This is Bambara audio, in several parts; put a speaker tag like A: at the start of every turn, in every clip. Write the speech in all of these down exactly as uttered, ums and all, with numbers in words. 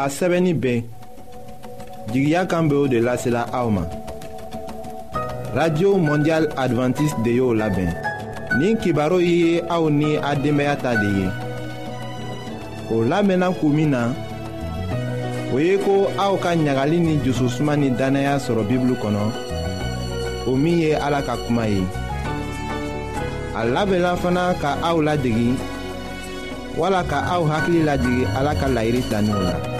A: A sɛbɛnni bɛ jigiya kan bɛ o de lasela aw ma. Radio Mondiale Adventiste de y'o labɛn. Nin kibaru ye aw ni a denbaya ta de ye. O lamɛnna kun min na, o ye ko aw ka ɲagali ni jususuma ni dannaya sɔrɔ Bibulu kɔnɔ, o min ye Ala ka kuma ye. A labɛnna fana ka aw ladegi wala ka aw hakili lajigin Ala ka layiru taninw la.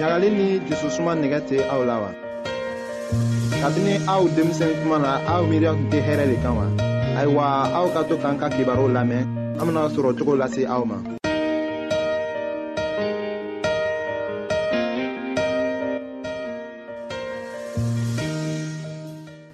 A: Ɲagali ni jususuma nɛgɛ tɛ aw la wa? Kabini aw denmisɛn tuma na, aw miiriya tun tɛ hɛrɛ de kan wa? Ayiwa, aw ka to k'an ka kibaruw lamɛn, an bɛna sɔrɔ cogo lase aw ma.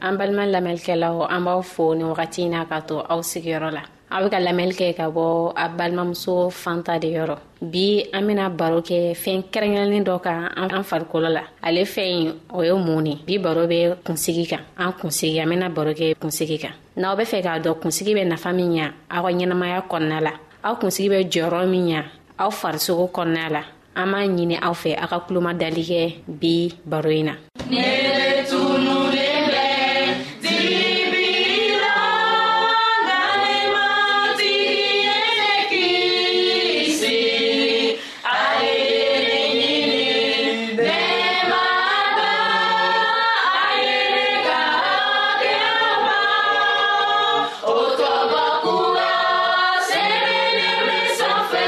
B: An balima lamɛnlikɛlaw, an b'aw fo nin wagati in na k'a to aw sigiyɔrɔ la. Aw bɛ ka lamɛnli kɛ ka bɔ a balimamuso Fanta de yɔrɔ. Bi an bɛna baro kɛ fɛn kɛrɛnkɛrɛnnen dɔ kan an farikolo la. Ale fɛn in, o ye mun de? Bi baro bɛ kunsigi kan. An kunsigi, an bɛna baro kɛ kunsigi kan. N'aw bɛ fɛ k'a dɔn kunsigi bɛ nafa min ɲa aw ka ɲɛnamaya kɔnɔna la, aw kunsigi bɛ jɔyɔrɔ min ɲa aw farisogo kɔnɔna la, an b'a ɲini aw fɛ aw ka kulomadali kɛ bi baro in na.
C: Ne tunulen bɛ dibi la, nka ne matigi ye ne kisi. A ye ne ɲini, ne ma ban, a ye ne ka hakɛw ban. O tɔgɔ kura sɛbɛnnen bɛ sanfɛ,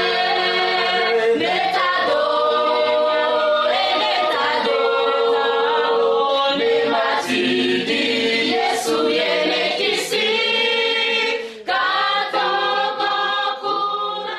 C: ne ta don, ne ta don, ne matigi Yesu ye ne kisi ka tɔgɔ kura.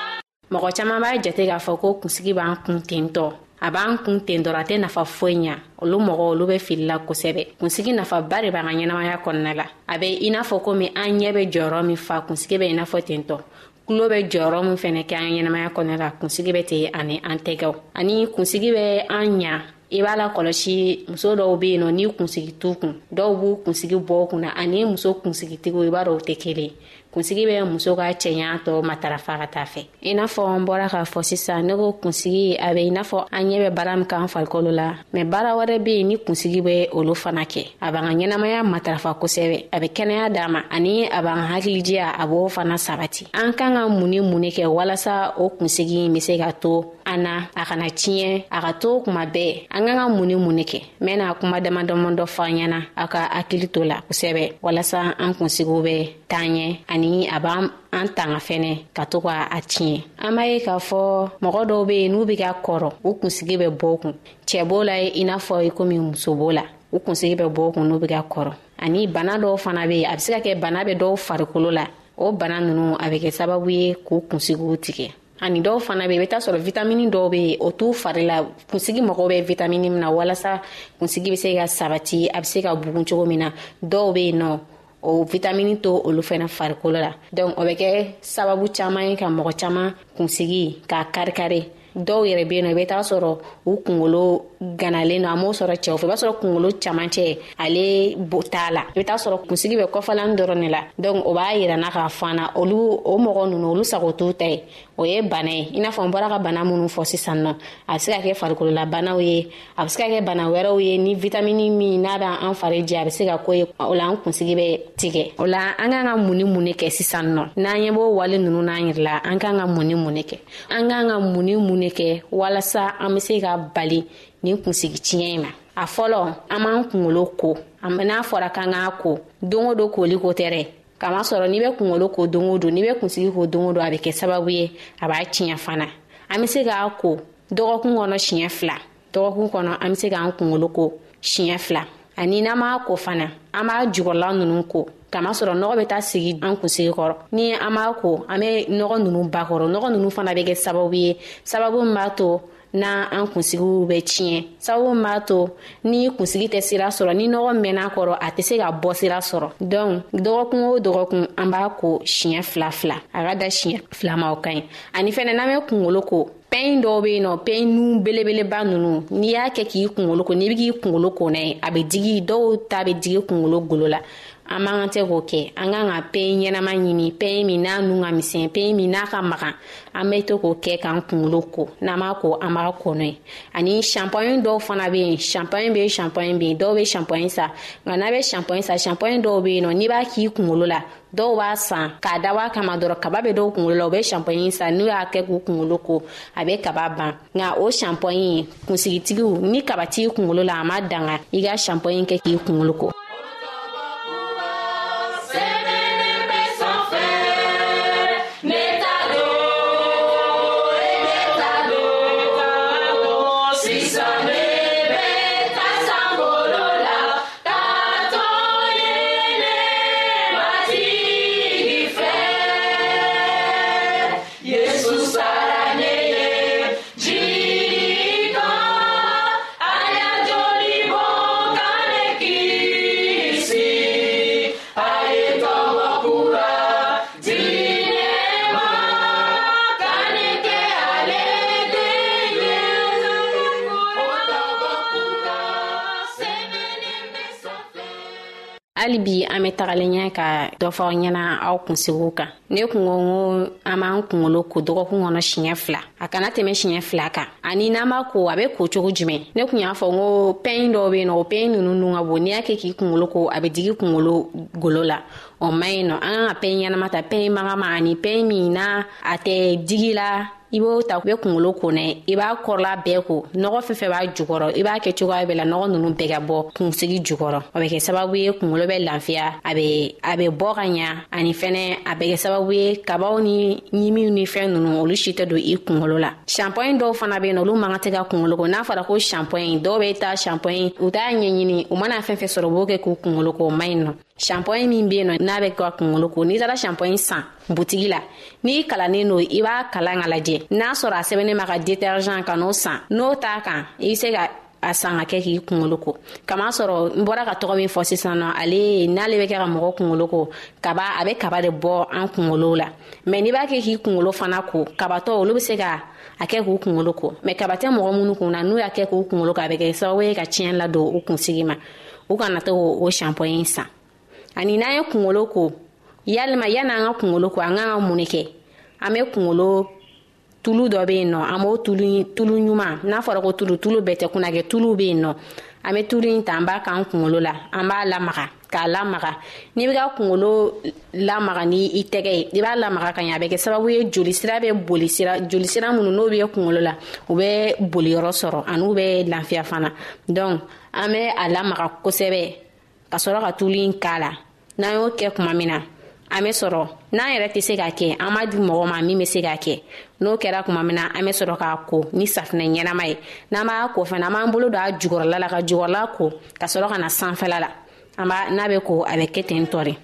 B: Mɔgɔ caman b'a jate k'a fɔ ko kunsigi b'an kun ten tɔ. A b'an kun ten dɔrɔn, a tɛ nafa foyi ɲa. Olu mɔgɔw, olu bɛ fili la kosɛbɛ. Kunsigi nafaba de b'an ka ɲɛnamaya kɔnɔna la. A bɛ i n'a fɔ komi an ɲɛ bɛ jɔyɔrɔ min fa, kunsigi bɛ i n'a fɔ ten tɔ. Tulo bɛ jɔyɔrɔ min fɛnɛ kɛ an ɲɛnamaya kɔnɔna la, kunsigi bɛ ten ani an tɛgɛw. Ani kunsigi bɛ an ɲa. I b'a la kɔlɔsi, muso dɔw bɛ yen nɔ, ni kunsigi t'u kun, dɔw b'u kunsigi bɔ u kunna, ani muso kunsigitigiw, i b'a dɔn o tɛ kelen ye. Kunsigi bɛ muso ka cɛɲa tɔ matarafa ka taa fɛ. I n'a fɔ n bɔra k'a fɔ sisan, ne ko kunsigi a bɛ i n'a fɔ an ɲɛ bɛ baara min k'an farikolo la, mɛ baara wɛrɛ bɛ yen ni kunsigi bɛ olu fana kɛ. A b'an ka ɲɛnamaya matarafa kosɛbɛ, a bɛ kɛnɛya d'a ma, ani a b'an hakilijiya, a b'o fana sabati. An kan ka mun ni mun de kɛ walasa o kunsigi in bɛ se ka to an na, a kana tiɲɛ, a ka to kuma bɛɛ? An kan ka mun ni mun de kɛ? N bɛna kuma dama dama dɔ fɔ an ɲɛna, aw ka hakili to la kosɛbɛ, walasa an kunsigiw bɛ taa ɲɛ, ani a b'an an tanga fɛnɛ ka to ka a tiɲɛ. An b'a ye k'a fɔ mɔgɔ dɔw bɛ yen, n'u bɛ ka kɔrɔ, u kunsigi bɛ bɔ u kun. Cɛ b'o la i n'a fɔ i komi muso b'o la, u kunsigi bɛ bɔ u kun n'u bɛ ka kɔrɔ. Ani bana dɔw fana bɛ yen, a bɛ se ka kɛ bana bɛ dɔw farikolo la, o bana ninnu a bɛ kɛ sababu ye k'u kunsigiw tigɛ. Ani dɔw fana bɛ yen, i bɛ taa sɔrɔ vitamini dɔw bɛ yen, o t'u fari la. Kunsigi mago bɛ vitamini min na walasa kunsigi bɛ se ka sabati, a bɛ se ka bugun cogo min na, dɔw bɛ yen nɔ, o vitamini to olu fana farikolo la. Donc o bɛ kɛ sababu caman ye ka mɔgɔ caman kunsigi k'a kari-kari. Dɔw yɛrɛ bɛ yen nɔ, i bɛ taa sɔrɔ u kunkolo ganalen don, a m'o sɔrɔ cɛw fɛ, i b'a sɔrɔ kunkolo camancɛ ale bo t'a la, i bɛ taa sɔrɔ kunsigi bɛ kɔfɛlan dɔrɔn de la. Donc o b'a yira n na k'a fɔ an na, olu o mɔgɔ ninnu, olu sago t'u ta ye, o ye bana ye. I n'a fɔ n bɔra ka bana minnu fɔ sisan nɔ, a bɛ se ka kɛ farikolola ye, a bɛ se ka kɛ bana wɛrɛw ye, ni vitamini min n'a b'an fari jɛ, a bɛ se ka k'o ye, o la an kunsigi bɛ tigɛ. O la an kan ka mun ni mun de kɛ sisan nɔ? N'an ɲɛ b'o wale ninnu n'an yɛrɛ la, an kan ka mun ni mun de kɛ? An kan ka mun ni mun de kɛ walasa an bɛ se ka bali nin kunsigi tiɲɛ in ma? A fɔlɔ, an b'an kunkolo ko. N'a fɔra k'an k'a ko don o don, koli ko tɛ dɛ. Kamasɔrɔ n'i bɛ kunkolo ko don o don, n'i bɛ kunsigi ko don o don, a bɛ kɛ sababu ye a b'a tiɲɛ fana. An bɛ se k'a ko dɔgɔkun kɔnɔ siɲɛ fila. Dɔgɔkun kɔnɔ, an bɛ se k'an kunkolo ko siɲɛ fila. Ani n'an b'a ko fana, an b'a jukɔrɔla ninnu ko, kamasɔrɔ nɔgɔ bɛ taa sigi an kunsigi kɔrɔ. Ni an b'a ko, an bɛ nɔgɔ ninnu ba kɔrɔ. Nɔgɔ ninnu fana bɛ kɛ sababu ye, sababu min b'a to n'an kunsigiw bɛ tiɲɛ, sababu min b'a to ni kunsigi tɛ sira sɔrɔ, ni nɔgɔ mɛnna kɔrɔ, a tɛ se ka bɔ sira sɔrɔ. Donc dɔgɔkun o dɔgɔkun, an b'a ko siɲɛ fila fila, a ka da siɲɛ fila ma, o ka ɲi. Ani fɛnɛ, n'an bɛ kunkolo ko, Pɛn dɔw bɛ yen nɔ, pɛn nun belebeleba ninnu, n'i y'a kɛ k'i kunkolo ko, n'i bɛ k'i kunkolo ko n'a ye, a bɛ digi, dɔw ta bɛ digi kunkolo golo la. An man kan tɛ k'o kɛ. An kan ka pɛn ɲɛnama ɲini, pɛn min n'a nun ka misɛn, pɛn min n'a ka magan, an bɛ to k'o kɛ k'an kunkolo ko. N'an b'a ko, an b'a ko n'o ye. Ani shampoing dɔw fana bɛ yen, shampoing bɛ yen, shampoing bɛ yen, dɔw bɛ shampoing san, nka n'a bɛ shampoing san, shampoing dɔw bɛ yen nɔ, n'i b'a k'i kunkolo la, dɔw b'a san k'a dabɔ a kama dɔrɔn, kaba bɛ dɔw kunkolo la, u bɛ shampoing san, n'u y'a kɛ k'u kunkolo ko, a bɛ kaba ban. Nka o shampoing, kunsigitigiw, ni kaba t'i kunkolo la, a ma danga i ka shampoing kɛ k'i kunkolo ko. Hali bi an bɛ tagalen ɲɛ ka dɔ fɔ aw ɲɛna aw kunsigiw kan. Ne kun ko n ko an b'an kunkolo ko dɔgɔkun kɔnɔ siɲɛ fila, a kana tɛmɛ siɲɛ fila kan. Ani n'an b'a ko, a bɛ ko cogo jumɛn? Ne kun y'a fɔ n ko pɛn dɔw bɛ yen nɔ, o pɛn ninnu nun ka bon, n'i y'a kɛ k'i kunkolo ko, a bɛ digi kunkolo golo la, o man ɲi nɔ. An kan ka pɛn ɲɛnama ta, pɛn magama, ani pɛn min n'a a tɛ digi la, i b'o ta, i bɛ kunkolo ko n'a ye, i b'a kɔrɔla bɛɛ ko, nɔgɔ fɛn fɛn b'a jukɔrɔ, i b'a kɛ cogoya bɛɛ la, nɔgɔ ninnu bɛɛ ka bɔ kunsigi jukɔrɔ. O bɛ kɛ sababu ye kunkolo bɛ lafiya, a bɛ a bɛ bɔ ka ɲa, ani fɛnɛ a bɛ kɛ sababu ye kabaw ni ɲimiw ni fɛn ninnu, olu si tɛ don i kunkolo la. Shampoing dɔw fana bɛ yen nɔ, olu man kan tɛ ka kunkolo ko. N'a fɔra ko shampoing, dɔw bɛ taa shampoing, u t'a ɲɛɲini, u mana fɛn fɛn sɔrɔ, u b'o kɛ k'u kunkolo ko, o man ɲi nɔ. Shampoing min bɛ yen nɔ, n'a bɛ ka kunkolo ko, n'i taara shampoing san butigi la, n'i kalannen don, i b'a kalan ka lajɛ, n'a sɔrɔ a sɛbɛnnen b'a ka détergent, ka n'o san, n'o t'a kan, i bɛ se ka a san ka kɛ k'i kunkolo ko. Kama sɔrɔ n bɔra ka tɔgɔ min fɔ sisan nɔ, ale n'ale bɛ kɛ ka mɔgɔ kunkolo ko, kaba, a bɛ kaba de bɔ an kunkolo la. Mɛ n'i b'a kɛ k'i kunkolo fana ko, kabatɔ olu bɛ se ka a kɛ k'u kunkolo ko, mɛ kaba tɛ mɔgɔ minnu kun na, n'u y'a kɛ k'u kunkolo ko, a bɛ kɛ sababu ye ka tiɲɛ ladon u kunsigi ma. U kana to o shampoing san. Ani n'an ye kunkolo ko, yalima yan'an ka kunkolo ko, an kan ka mun de kɛ? An bɛ kunkolo tulu dɔ bɛ yen nɔ, an b'o tulu, tulu ɲuman, n'a fɔra ko tulu, tulu bɛɛ tɛ kunnakɛ, tulu bɛ yen nɔ, an bɛ tulu in ta, an b'a k'an kunkolo la, an b'a lamaga, k'a lamaga. N'i bɛ ka kunkolo lamaga ni i tɛgɛ ye, i b'a lamaga ka ɲɛ, a bɛ kɛ sababu ye jolisira bɛ boli sira, jolisira minnu n'o bɛ kunkolo la, u bɛ boli yɔrɔ sɔrɔ, ani u bɛ lafiya fana. Donc an bɛ a lamaga kosɛbɛ ka sɔrɔ ka tulu in k'a la. N'an y'o kɛ tuma min na, an bɛ sɔrɔ, n'an yɛrɛ tɛ se k'a kɛ, an b'a di mɔgɔ ma min bɛ se k'a kɛ. N'o kɛra tuma min na, an bɛ sɔrɔ k'a ko ni safunɛ ɲɛnama ye. N'an b'a ko fana, an b'an bolo don a jukɔrɔla la ka jukɔrɔla ko, ka sɔrɔ ka na sanfɛla la. An b'a, n'a bɛ ko, a bɛ kɛ ten tɔ de.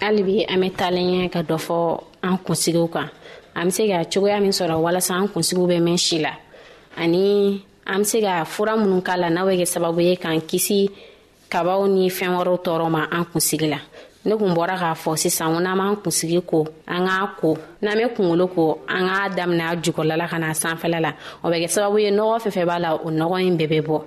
B: Hali bi an bɛ taalen ɲɛ ka dɔ fɔ an kunsigiw kan. An bɛ se ka cogoya min sɔrɔ walasa an kunsigiw bɛ mɛn si la, ani an bɛ se ka fura minnu k'a la n'a bɛ kɛ sababu ye k'an kisi kabaw ni fɛn wɛrɛw tɔɔrɔ ma an kunsigi la. Ne kun bɔra k'a fɔ sisan ko n'an b'an kunsigi ko, an k'a ko, n'an bɛ kunkolo ko, an k'a daminɛ a jukɔrɔla la ka na sanfɛla la, o bɛ kɛ sababu ye nɔgɔ fɛn fɛn b'a la, o nɔgɔ in bɛɛ bɛ bɔ.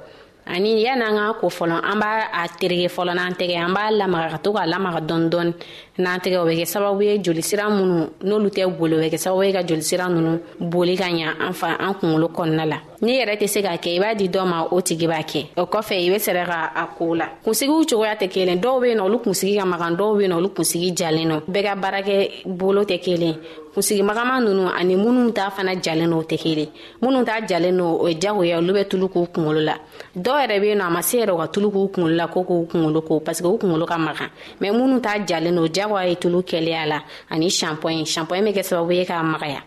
B: Ani yan'an k'a ko fɔlɔ, an b'a a tereke fɔlɔ n'an tɛgɛ, an b'a lamaga ka to k'a lamaga dɔɔni dɔɔni n'an tɛgɛ, o bɛ kɛ sababu ye jolisira minnu n'olu tɛ boli, o bɛ kɛ sababu ye ka jolisira ninnu boli ka ɲa an fa an kunkolo kɔnɔna la. N'i yɛrɛ tɛ se k'a kɛ, i b'a di dɔ ma, o tigi b'a kɛ. O kɔfɛ i bɛ sɛrɛ ka a ko la. Kunsigiw cogoya tɛ kelen. Dɔw bɛ yen nɔ, olu kunsigi ka magan, dɔw bɛ yen nɔ, olu kunsigi jalen don. Bɛɛ ka baarakɛ bolo tɛ kelen. Kunsigi magama ninnu ani minnu ta fana jalen don, o tɛ kelen. Minnu ta jalen don, o ye jagoya, olu bɛ tulu k'u kunkolo la. Dɔw yɛrɛ bɛ yen nɔ, a ma se yɛrɛ u ka tulu k'u kunkolo la ko k'u kunkolo ko, parce que u kunkolo ka magan. Mais minnu ta jalen don, jagoya ye tulu kɛlen a la ani shampoing. Shampoing bɛ kɛ sababu ye k'a magaya.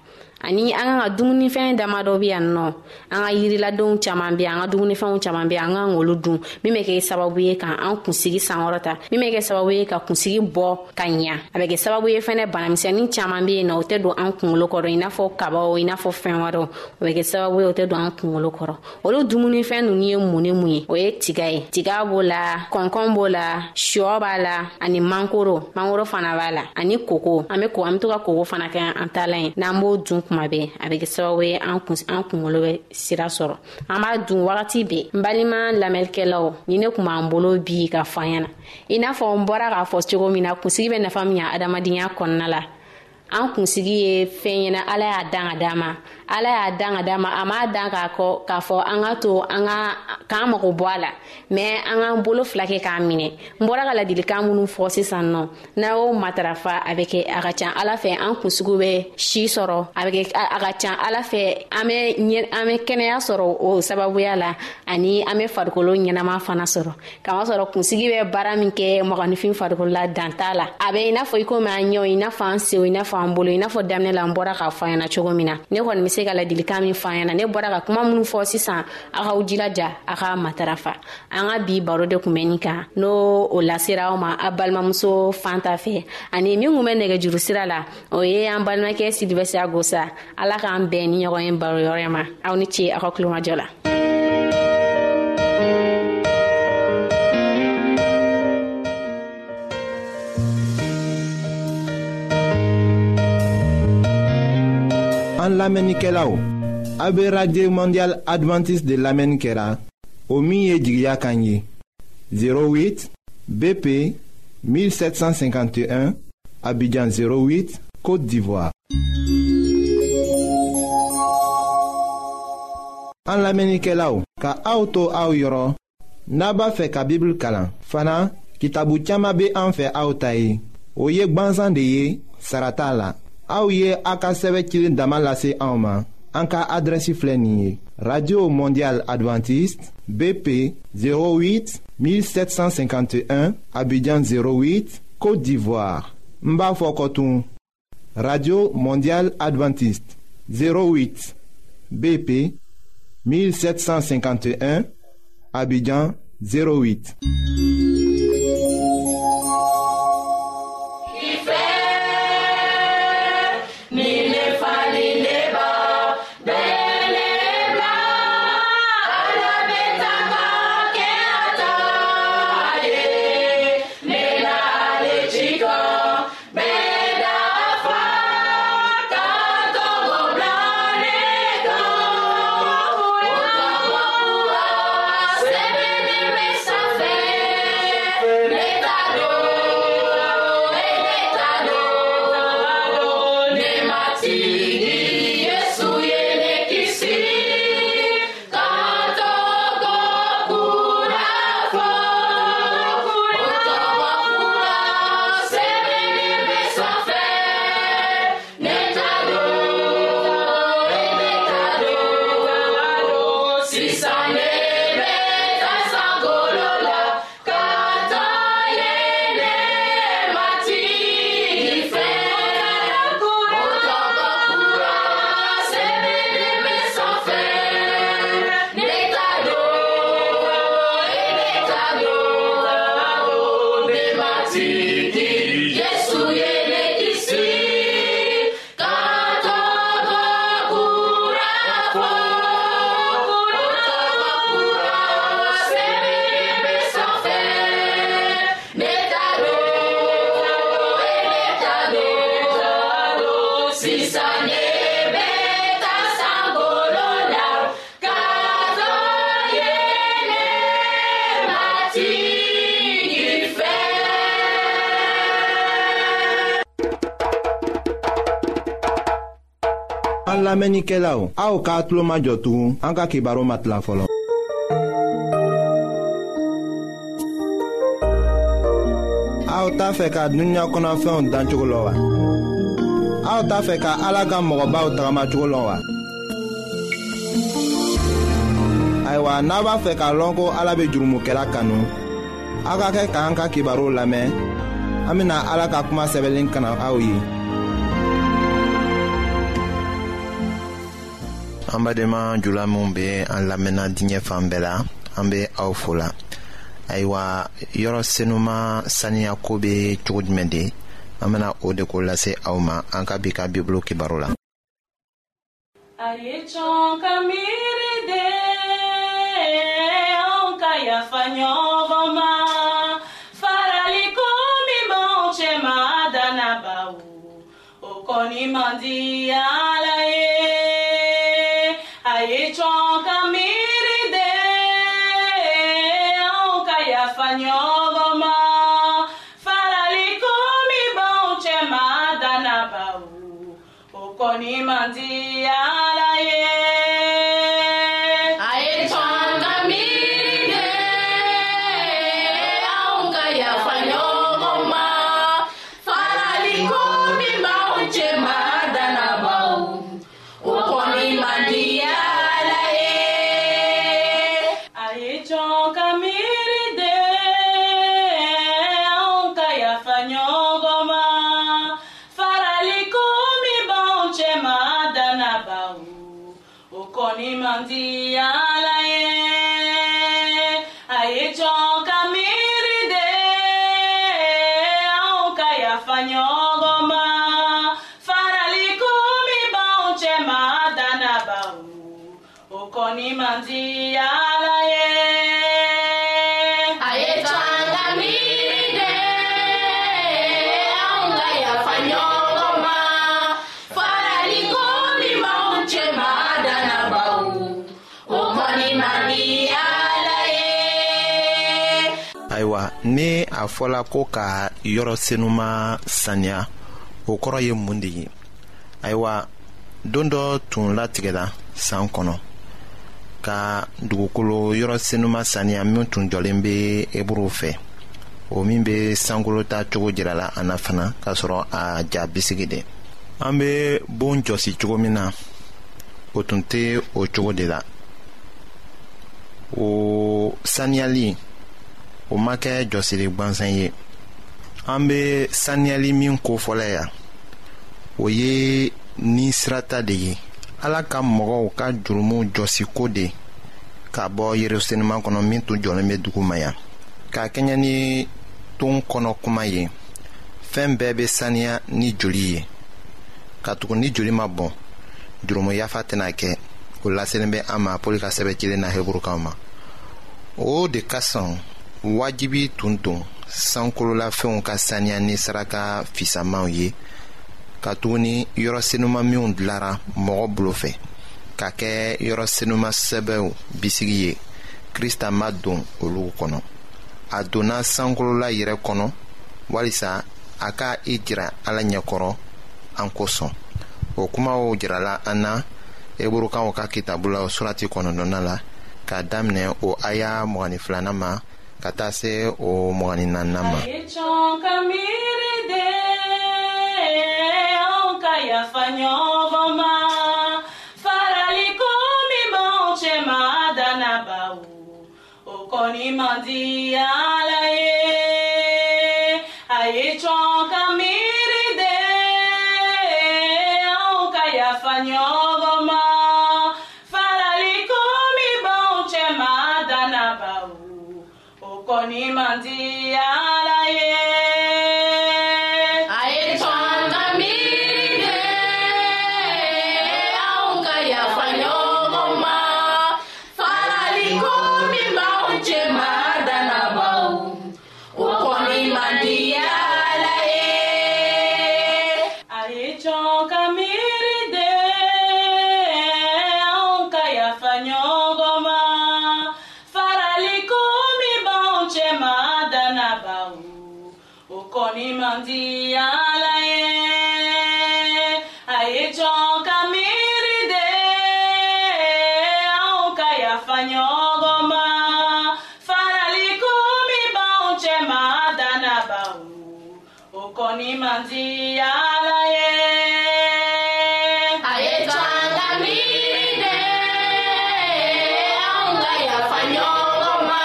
B: Ani an kan ka dumunifɛn damadɔ bɛ yan nɔ, an ka yiriladenw caman bɛ yan, an ka dumunifɛnw caman bɛ yan, an kan k'olu dun, min bɛ kɛ sababu ye k'an kunsigi sankɔrɔta, min bɛ kɛ sababu ye ka kunsigi bɔ ka ɲa. A bɛ kɛ sababu ye fɛnɛ banamisɛnnin caman bɛ yen nɔ, o tɛ don an kunkolo kɔrɔ, i n'a fɔ kabaw, i n'a fɔ fɛn wɛrɛw, o bɛ kɛ sababu ye o tɛ don an kunkolo kɔrɔ. Olu dumunifɛn ninnu ye mun ni mun ye? O ye tiga ye, tiga b'o la, kɔnkɔn b'o la, sɔ b'a la, ani mangoro, mangoro fana b'a la, ani koko. An bɛ ko, an bɛ to ka koko fana kɛ an taalan ye, n'an b'o dun kuma bɛɛ, a bɛ kɛ sababu ye an kun an kunkolo bɛ sira sɔrɔ. An b'a dun wagati bɛɛ. N balima lamɛnnikɛlaw, ni ne kun b'an bolo bi ka fɔ an ɲɛna, i n'a fɔ n bɔra k'a fɔ cogo min na, kunsigi bɛ nafa min ɲa adamadenya kɔnɔna la. An kunsigi ye fɛn ɲɛna, Ala y'a dan ka d'an ma, Ala y'a dan ka d'an ma, a m'a dan k'a kɔ k'a fɔ an ka to an ka k'an mago bɔ a la, mais an k'an bolo fila kɛ k'a minɛ. N bɔra ka ladilikan minnu fɔ sisan nɔ, n'a y'o matarafa, a bɛ kɛ a ka ca Ala fɛ an kunsigiw bɛ si sɔrɔ, a bɛ kɛ a ka ca Ala fɛ an bɛ an bɛ kɛnɛya sɔrɔ o sababuya la, ani an bɛ farikolo ɲɛnama fana sɔrɔ. Kamasɔrɔ kunsigi bɛ baara min kɛ mɔgɔninfin farikolo la, dan t'a la. A bɛ i n'a fɔ i komi an ɲɛw, i n'a fɔ an senw, i n'a fɔ an bolo, i n'a fɔ daminɛ la n bɔra k'a fɔ an ɲɛna cogo min na. Ne kɔni bɛ se ka ladilikan min fɔ an ɲɛna, ne bɔra ka kuma minnu fɔ sisan, aw k'aw jilaja a ka matarafa. An ka bi baro de kun bɛ nin kan, n'o o lasera aw ma a balimamuso Fanta fɛ, ani min kun bɛ nɛgɛjuru sira la, o ye an balimakɛ Sidibɛ Agosa. Ala k'an bɛn ni ɲɔgɔn ye baro yɔrɔ ma. Aw ni ce aw ka kulomajɔ la.
A: An lamɛnnikɛlaw, a bɛ Radio Mondiale Adventiste de lamɛnni kɛra, o min ye jigiya kan ye. zéro huit B P mille sept cent cinquante et un, Abidjan zéro huit, Côte d'Ivoire. An lamɛnnikɛlaw, ka aw to aw yɔrɔ, n'a b'a fɛ ka Bible kalan fana, kitabu caman bɛ an fɛ aw ta ye. O ye gbansan de ye, sara t'a la. Aw ye a ka sɛbɛn cilen dama lase anw ma. An ka adrɛsi filɛ nin ye: Radio Mondiale Adventiste, B P zéro huit mille sept cent cinquante et un, Abidjan zéro huit, Côte d'Ivoire. N b'a fɔ kɔtun: Radio Mondiale Adventiste zéro huit B P mille sept cent cinquante et un, Abidjan zéro huit.
C: Matigi fɛ.
A: Lamɛnnikɛlaw, aw k'a tulo majɔ tugun, an ka kibaru ma tila fɔlɔ. Aw t'a fɛ ka dunuya kɔnɔfɛnw dancogo lɔn wa? Aw t'a fɛ ka Ala ka mɔgɔbaw tagamacogo lɔn wa? Ayiwa, n'a b'a fɛ k'a lɔn ko Ala bɛ jurumukɛla kanu, aw ka kɛ k'an ka kibaruw lamɛn. An bɛna Ala ka kuma sɛbɛnlen kana aw ye.
D: An badenma jula minw bɛ an lamɛnna diɲɛ fan bɛɛ la, an bɛ aw fo la. Ayiwa, yɔrɔ senuma saniya ko bɛ cogo jumɛn de? An bɛna o de ko lase aw ma an ka bi ka Bibulu kibaru la.
C: A ye cɔn ka miiri de, anw ka yafa ɲɔgɔn ma. Farali ko min b'anw cɛ ma dannabaw, o kɔni man di Ala ye. A ye cɔn ka miiri de, anw ka yafa ɲɔgɔn ma. Farali ko min b'anw cɛ ma dannabaw, o kɔni man di Ala ye.
E: A ye cɔn ka miiri de, anw ka yafa ɲɔgɔn ma. Farali ko min b'anw cɛ ma dannabaw, o kɔni man di Ala ye.
C: A ye cɔn ka miiri de, anw ka yafa ɲɔgɔn ma. Farali ko min b'anw cɛ ma dannabaw, o kɔni man di Ala ye. A ye cɔn ka miiri de, anw ka yafa ɲɔgɔn ma. Farali ko min b'anw cɛ ma dannabaw, o kɔni man di Ala ye.
E: A ye cɔn ka miiri de, anw ka yafa ɲɔgɔn ma. Farali ko min b'anw cɛ ma dannabaw, o kɔni man di Ala ye.
D: Ayiwa, ni a fɔla ko ka yɔrɔ senuma saniya, o kɔrɔ ye mun de ye? Ayiwa, don dɔ tun latigɛla san kɔnɔ ka dugukolo yɔrɔ senuma saniya min tun jɔlen bɛ Eburuw fɛ, o min bɛ sankolo ta cogo jirala an na fana, k'a sɔrɔ a ja bisigi de. An bɛ bon jɔsi cogo min na, o tun tɛ o cogo de la. O saniyali, o ma kɛ jɔsili gansan ye. An bɛ saniyali min kofɔla yan, o ye ni sirata de ye. Ala ka mɔgɔw ka jurumu jɔsiko de ka bɔ Yerusalɛm kɔnɔ min tun jɔlen bɛ dugu ma yan. K'a kɛɲɛ ni ton kɔnɔ kuma ye, fɛn bɛɛ bɛ saniya ni joli ye. Katugu ni joli ma bɔn, jurumu yafa tɛna kɛ. O laselen bɛ an ma Pɔli ka sɛbɛn cilen na Heburukaw ma. O de kosɔn wajibi tun don sankololafɛnw ka saniya ni saraka fisamaw ye, katuguni yɔrɔ senuma minw dilara mɔgɔ bolo fɛ ka kɛ yɔrɔ senuma sɛbɛw bisigi ye, Krista ma don olu kɔnɔ. A donna sankolola yɛrɛ kɔnɔ walisa a ka i jira Ala ɲɛkɔrɔ an kosɔn. O kumaw jirala an na Eburukaw ka kitabu la surati kɔnɔntɔnnan la, k'a daminɛ o aya mugan ni filanan ma ka taa se o mugan ni naaninan ma.
C: A ye cɔn ka miiri de, anw ka yafa ɲɔgɔn ma. Farali ko min b'anw cɛ ma dannabaw, o kɔni man di Ala ye. A ye cɔn ka miiri de, anw ka yafa ɲɔgɔn ma. Farali ko min b'anw cɛ ma dannabaw, o kɔni man di Ala ye.
E: A ye cɔn ka miiri de, anw ka yafa ɲɔgɔn ma. Farali ko min b'anw cɛ ma dannabaw, o kɔni man di Ala ye.
C: A ye cɔn ka miiri de, anw ka yafa ɲɔgɔn ma. Farali ko min b'anw cɛ ma dannabaw, o kɔni man di Ala ye. A ye cɔn ka miiri Danabaw, o kɔni man di Ala ye.
E: A ye to an ka miiri de, anw ka yafa ɲɔgɔn ma.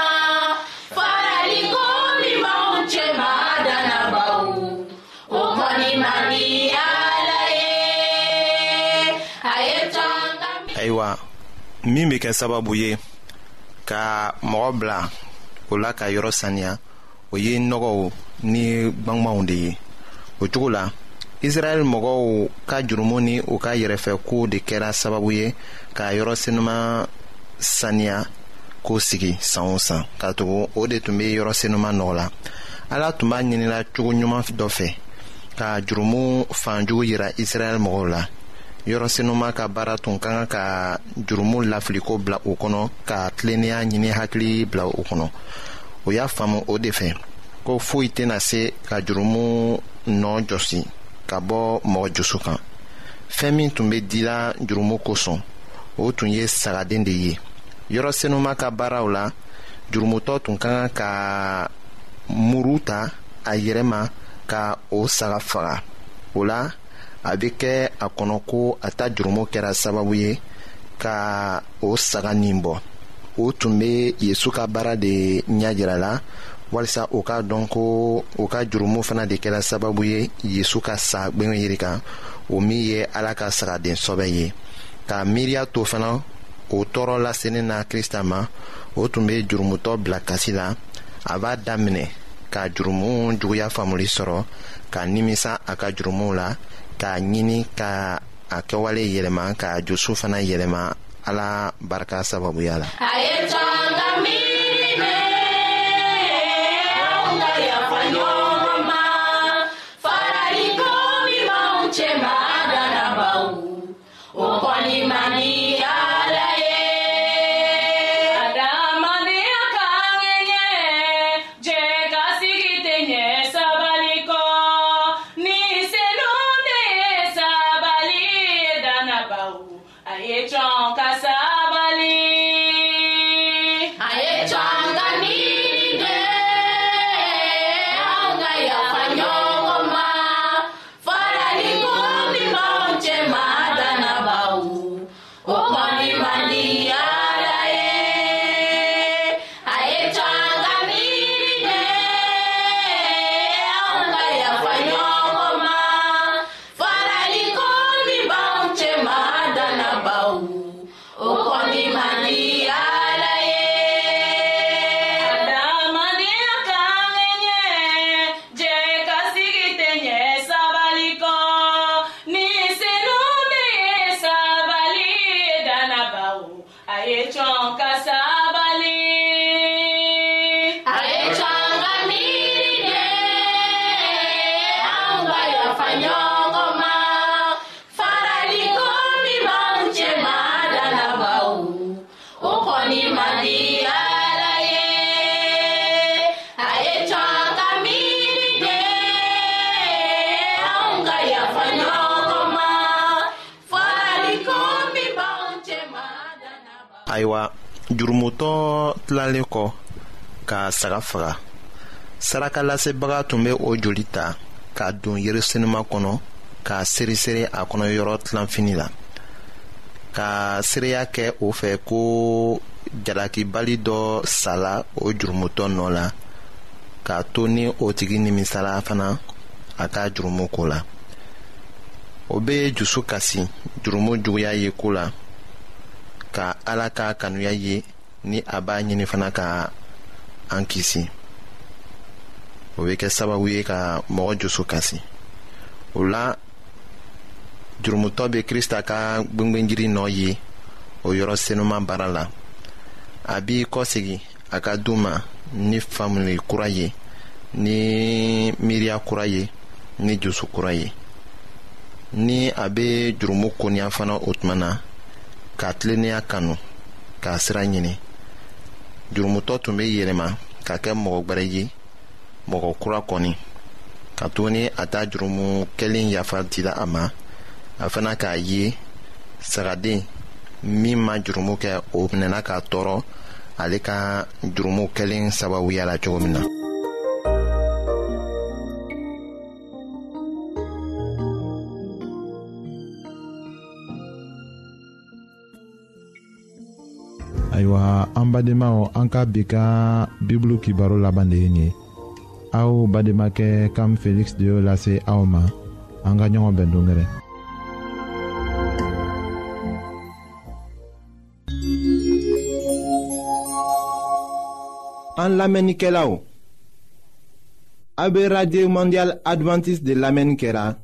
E: Faraliko min b'anw cɛma danabaw, o kɔni man di Ala ye. A ye to an ka miiri.
D: Ayiwa, min bɛ kɛ sababu ye ka mɔgɔ bila o la ka yɔrɔ saniya, o ye nɔgɔw ni gbangbanw de ye. O cogo la, Israɛl mɔgɔw ka jurumu ni u ka yɛrɛfɛ ko de kɛra sababu ye ka yɔrɔ senuma saniya ko sigi san o san, katugu o de tun bɛ yɔrɔ senuma nɔgɔ la. Ala tun b'a ɲinila cogo ɲuman dɔ fɛ ka jurumu fanjugu yira Israɛl mɔgɔw la. Yɔrɔ senuma ka baara tun ka kan ka jurumu lafiliko bila u kɔnɔ, ka tilennenya ɲini hakili bila u kɔnɔ. O y'a faamu o de fɛ ko foyi tɛna se ka jurumu nɔ jɔsi ka bɔ mɔgɔ dusu kan. Fɛn min tun bɛ dila jurumu kosɔn, o tun ye sagaden de ye. Yɔrɔ senuma ka baaraw la, jurumutɔ tun ka kan ka muru ta a yɛrɛ ma ka o saga faga. O la, a bɛ kɛ a kɔnɔ ko a ta jurumu kɛra sababu ye ka o saga nin bɔ. O tun bɛ Yesu ka baara de ɲɛ jira la, walisa o k'a dɔn ko o ka jurumu fana de kɛra sababu ye Yesu ka sa gwengwenyiri kan, o min ye Ala ka sagaden sɔbɛ ye. Ka miiriya to fana o tɔɔrɔ lasennen na Krista ma, o tun bɛ jurumutɔ bila kasi la. A b'a daminɛ ka jurumu juguya faamuli sɔrɔ, ka nimisa a ka jurumuw la, k'a ɲini ka a kɛwale yɛlɛma, ka dusu fana yɛlɛma Ala barika sababuya la.
E: A ye to an ka miiri de, anw ka yafa ɲɔgɔn ma. Faraliko min b'anw cɛma danabaw, o kɔni man di Ala ye.
C: Adamadenya ka ŋɛɲɛ, jɛ ka sigi tɛ ɲɛ sabali kɔ. Ni senu de ye sabali ye danabaw, a ye cɔn ka sabali.
E: A ye to an ka miiri de, anw ka yafa ɲɔgɔn ma. Faraliko min b'anw cɛma danabaw, o kɔni man di Ala ye. A ye to an ka miiri de, anw ka yafa ɲɔgɔn ma. Faraliko min b'anw cɛma danabaw, o kɔni man di Ala ye.
C: Adamadenya ka ŋɛɲɛ, jɛ ka sigi tɛ ɲɛ sabali kɔ. Ni senu de ye sabali ye danabaw, a ye cɔn ka sabali.
E: A ye to an ka miiri de, anw ka yafa ɲɔgɔn ma. Faraliko min b'anw cɛma danabaw, o kɔni man di Ala ye. A ye to an ka miiri de, anw ka yafa ɲɔgɔn ma. Faraliko min b'anw cɛma danabaw.
D: Ayiwa, jurumutɔ tilalen kɔ ka saga faga, sarakalasebaga tun bɛ o joli ta ka don yɔrɔ senuma kɔnɔ, k'a seriseri a kɔnɔ yɔrɔ tilanfini la, ka seereya kɛ o fɛ ko jalakibali dɔ sala o jurumutɔ nɔ la, k'a to ni o tigi nimisala fana a ka jurumu ko la. O bɛ dusu kasi jurumu juguya ye ko la, ka Ala ka kanuya ye ni a b'a ɲini fana ka an kisi. O bɛ kɛ sababu ye ka mɔgɔ dusu kasi. O la, jurumutɔ bɛ Krista ka gwengwenjiri nɔ ye o yɔrɔ senuma baara la. A b'i kɔsegi a ka du ma ni faamuli kura ye, ni miiriya kura ye, ni dusu kura ye. Ni a bɛ jurumu koniya fana o tuma na, ka tilennenya kanu, k'a sira ɲini. Jurumutɔ tun bɛ yɛlɛma ka kɛ mɔgɔ gwɛrɛ ye, mɔgɔ kura kɔni, ka tuguni a ta jurumu kɛlen yafa dila a ma. A fana k'a ye sagaden min ma jurumu kɛ, o minɛna k'a tɔɔrɔ ale ka jurumu kɛlen sababuya la cogo min na.
A: Ayiwa an badenmaw, an ka bi ka Bibulu kibaro laban de ye nin ye. Aw badenmakɛ Kam Felix de y'o lase aw ma. An ka ɲɔgɔn bɛn don wɛrɛ. An lamɛnnikɛlaw, a bɛ Radio Mondiale Adventiste de lamɛnni kɛra,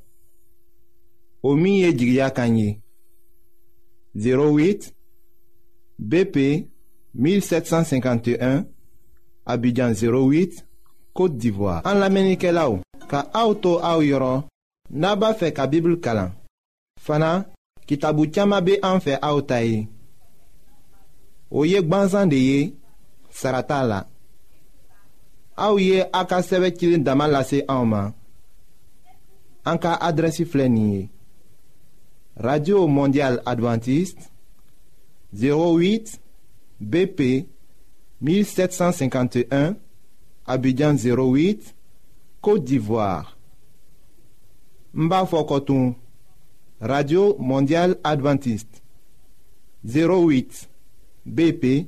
A: o min ye jigiya kan ye. zéro huit B P mille sept cent cinquante et un, Abidjan zéro huit, Côte d'Ivoire. An lamɛnnikɛlaw, ka aw to aw yɔrɔ, n'a b'a fɛ ka Bible kalan fana, kitabu caman bɛ an fɛ aw ta ye. O ye gbansan de ye, sara t'a la. Aw ye a ka sɛbɛn cilen dama lase anw ma. An ka adrɛsi filɛ nin ye: Radio Mondiale Adventiste, zéro huit B P mille sept cent cinquante et un, Abidjan zéro huit, Côte d'Ivoire. N b'a fɔ kɔtun, Radio Mondiale Adventiste, zéro huit B P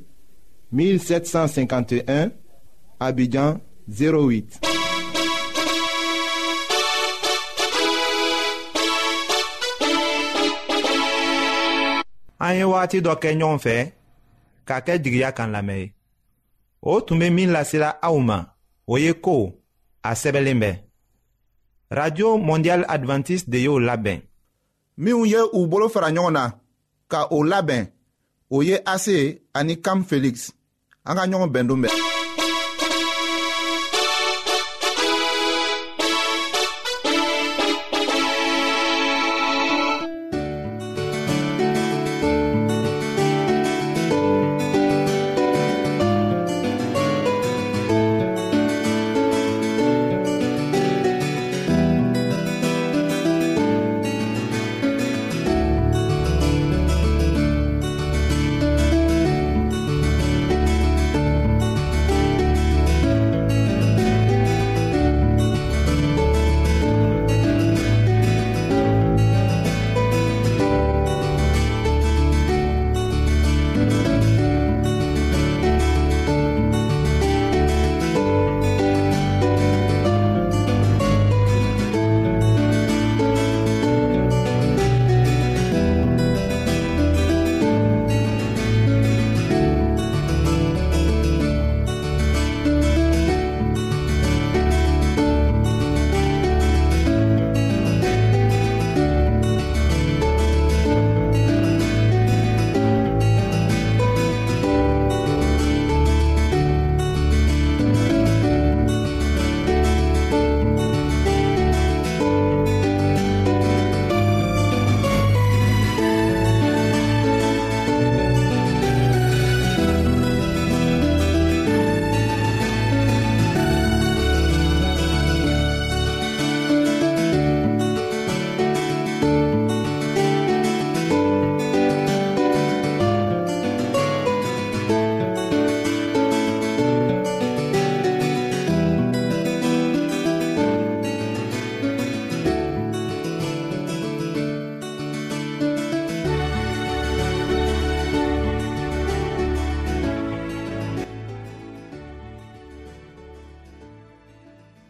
A: mille sept cent cinquante et un, Abidjan zéro huit.
D: An ye wagati dɔ kɛ ɲɔgɔn fɛ k'a kɛ jigiya kan lamɛn ye. O tun bɛ min lasela aw ma, o ye ko a sɛbɛnlen bɛ. Radio Mondiale Adventiste de y'o labɛn.
F: Minnu ye u bolo fara ɲɔgɔn na ka o labɛn, o ye A C ani Kam Felix. An ka ɲɔgɔn bɛn don bɛɛ.